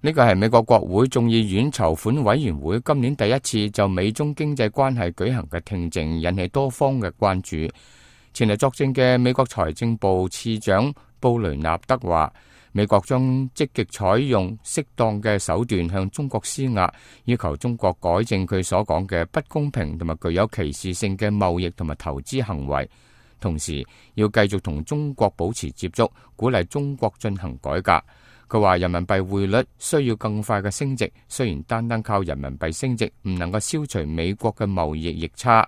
呢個係美國國會眾議院籌款委員會今年第一次就美中經濟關係舉行嘅聽證，引起多方嘅關注。前嚟作證嘅美國財政部次長布雷納德話，美國將積極採用適當嘅手段向中國施壓，要求中國改正佢所講嘅不公平同埋具有歧視性嘅貿易同埋投資行為，同時要繼續同中國保持接觸，鼓勵中國進行改革。佢話人民幣匯率需要更快嘅升值，雖然單單靠人民幣升值唔能夠消除美國嘅貿易逆差。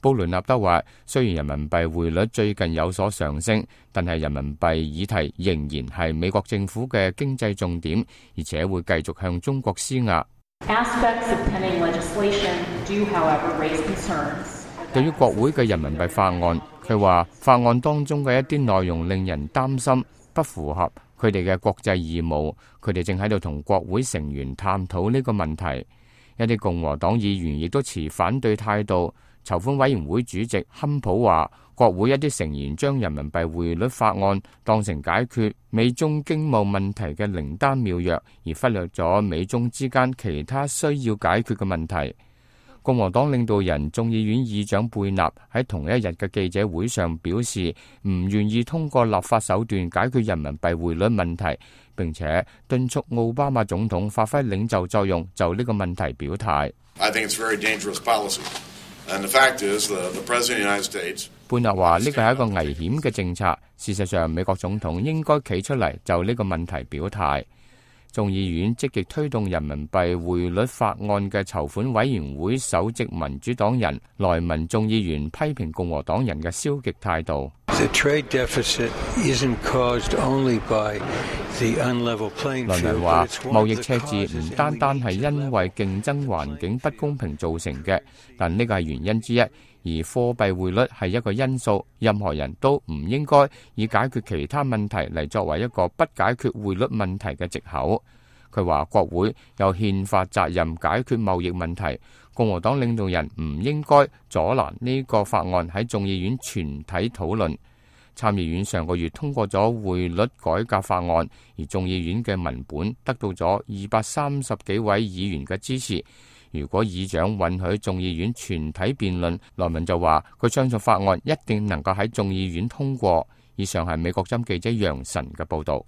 布雷納德話，雖然人民幣匯率最近有所上升，但係人民幣議題仍然係美國政府嘅經濟重點，而且會繼續向中國施壓。對於國會嘅人民幣法案，佢話法案當中嘅一啲內容令人擔心，不符合佢哋嘅國際義務，佢哋正喺度同國會成員探討呢個問題。一啲共和黨議員亦都持反對態度。籌款委員會主席坎普話，國會一啲成員將人民幣匯率法案當成解決美中經貿問題嘅靈丹妙藥，而忽略咗美中之間其他需要解決嘅問題。共和黨領導人眾議院議長貝納喺同一日嘅記者會上表示，唔願意通過立法手段解決人民幣匯率問題，並且敦促奧巴馬總統發揮領袖作用，就呢個問題表態。貝納話：呢個係一個危險嘅政策。事實上，美國總統應該企出嚟就呢個問題表態。眾議院積極推動人民幣匯率法案嘅籌款委員會首席民主黨人萊文眾議員批評共和黨人嘅消極態度。萊文話：貿易赤字唔單單係因為競爭環境不公平造成嘅，但呢個係原因之一。而貨幣匯率係一個因素，任何人都唔應該以解決其他問題嚟作為一個不解決匯率問題嘅藉口。佢話國會有憲法責任解決貿易問題，共和黨領導人唔應該阻攔呢個法案喺眾議院全體討論。參議院上個月通過咗匯率改革法案，而眾議院嘅文本得到咗230幾位議員嘅支持。如果議長允許眾議院全體辯論，萊文就話佢相信法案一定能夠喺眾議院通過。以上係美國之音記者楊晨嘅報道。